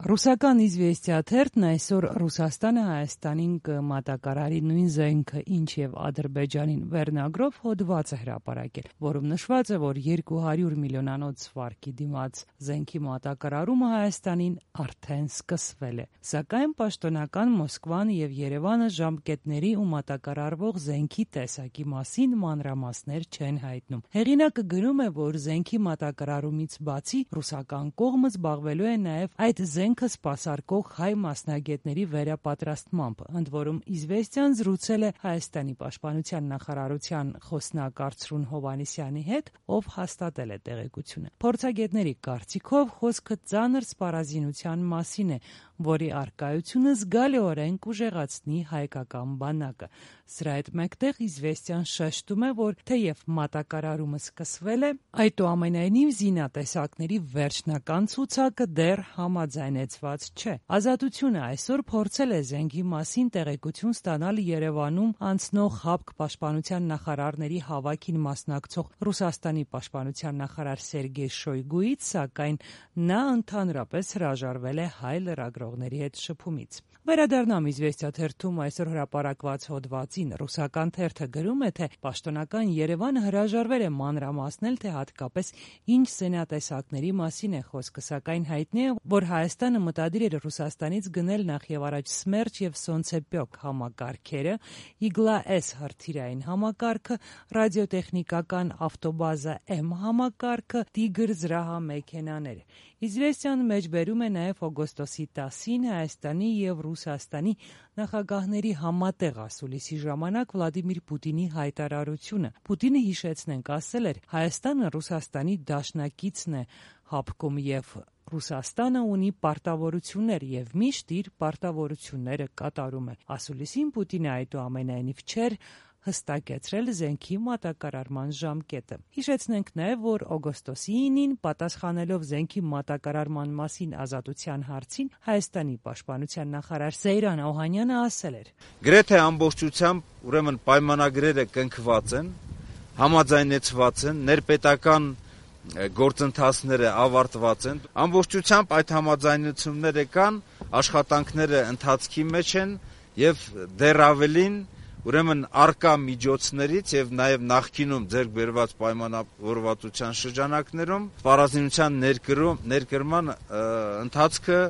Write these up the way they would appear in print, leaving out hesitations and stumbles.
Ռուսական «Իզվեստիա» թերթն այսօր Ռուսաստանը Հայաստանին կմատակարարի նույն զենքը, ինչ եւ Ադրբեջանին վերնագրով հոդված է հրապարակել, որում նշված է, որ 200 միլիոնանոց վարկի դիմաց զենքի մատակարարումը Հայաստանին արդեն սկսվել է։ Սակայն պաշտոնական Մոսկվան եւ Երևանը ժամկետների ու մատակարարվող զենքի տեսակի մասին մանրամասներ չեն հայտնում։ Հեղինակը գրում է, որ զենքի մատակարարումից բացի ռուսական կողմը զբաղվելու է նաեւ այդ զենքը սպասարկող հայ մասնագետների վերապատրաստմամբ, ընդ որում «Իզվեստիան» զրուցել է Հայաստանի պաշտպանության նախարարության խոսնակ Արծրուն Հովհաննիսյանի հետ, ով հաստատել է տեղեկությունը։ Փորձագետների կարծիքով խոսքը ծանր սպառազինության մասին է, որի առկայությունը զգալիորեն կուժեղացնի հայկական բանակը։ Սրա հետ մեկտեղ «Իզվեստիան» շեշտում է, որ թեև մատակարարումը սկսվել է, այդուամենայնիվ զինատեսակների վերջնական ցուցակը դեռ համաձայնեցված չէ։ «Ազատությունը» այսօր փորձել է զենքի մասին տեղեկություն ստանալ Երևանում անցնող ՀԱՊԿ պաշտպանության նախարարների հավաքին մասնակցող Ռուսաստանի պաշտպանության նախարար Սերգեյ Շոյգուից, սակայն նա ընդհանրապես հրաժարվել է հայ լրագրողների հետ շփումից։ Վերադառնամ «Իզվեստիա» թերթում այսօր հրապարակված հոդվածին։ Ռուսական թերթը գրում է, թե պաշտոնական Երևանը հրաժարվել է մանրամասնել, թե հատկապես ինչ զենատեսակների մասին է խոսքը, սակայն հայտնի է, որ Հայաստանը մտադիր էր Ռուսաստանից գնել նախևառաջ «Սմերչ» եւ «Սոնցեպյոկ» համակարգերը, «Իգլա-S» հրթիռային համակարգը, ռադիոտեխնիկական ավտոբազա M համակարգը, «Տիգր» զրահամեքենաները։ «Իզվեստիան» մեջբերում է նաև օգոստոսի 10-ին Հայաստանի եւ Ռուսաստանի նախագահների համատեղ ասուլիսի ժամանակ Վլադիմիր Պուտինի հայտարարությունը։ Պուտինը, հիշեցնենք, ասել էր. Հայաստանը Ռուսաստանի դաշնակիցն է ՀԱՊԿ-ում եւ Ռուսաստանը ունի պարտավորություններ եւ միշտ իր պարտավորությունները կատարում է։ Ասուլիսին Պուտինը այդուամենայնիվ չէր հստակեցրել զենքի մատակարարման ժամկետը։ Հիշեցնենք նաև, որ օգոստոսի 9-ին պատասխանելով զենքի մատակարարման մասին Ազատության հարցին, Հայաստանի պաշտպանության նախարար Սեյրան Օհանյանը ասել էր. «Գրեթե ամբողջությամբ ուրեմն պայմանագրերը կնքված են, համաձայնեցված են, ներպետական գործընթացները ավարտված են, ամբողջությամբ այդ համաձայնությունները կան, աշխատանքները ընթացքի մեջ են եւ դեռ ավելին ուրեմն արկա միջոցներից եւ նաեւ նախկինում ձեռք բերված պայմանավորվածության շրջանակներում սպառազինության ներկրման ընթացքը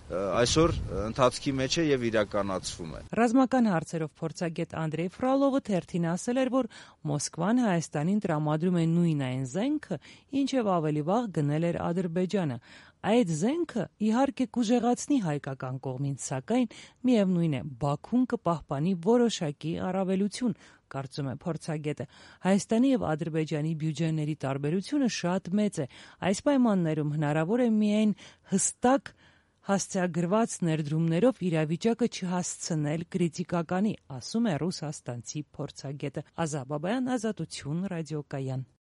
այսօր ընթացքի մեջ է եւ իրականացվում է»։ Ռազմական հարցերով փորձագետ Անդրեյ Ֆրոլովը թերթին ասել էր, որ Մոսկվան Հայաստանին տրամադրում է նույն այն զենքը, ինչ եւ ավելի վաղ գնել էր Ադրբեջանը։ Այդ զենքը իհարկե կուժեղացնի հայկական կողմին, սակայն միևնույն է, Բաքուն կպահպանի որոշակի առավելություն, կարծում է փորձագետը։ Հայաստանի եւ Ադրբեջանի բյուջեների տարբերությունը շատ մեծ է։ Այս պայմաններում հնարավոր է միայն հստակ հասցեագրված ներդրումներով իրավիճակը չհասցնել կրիտիկականի, ասում է ռուսաստանցի փորձագետը։ Ազա Բաբայան, Ազատություն, ռադիոկայան։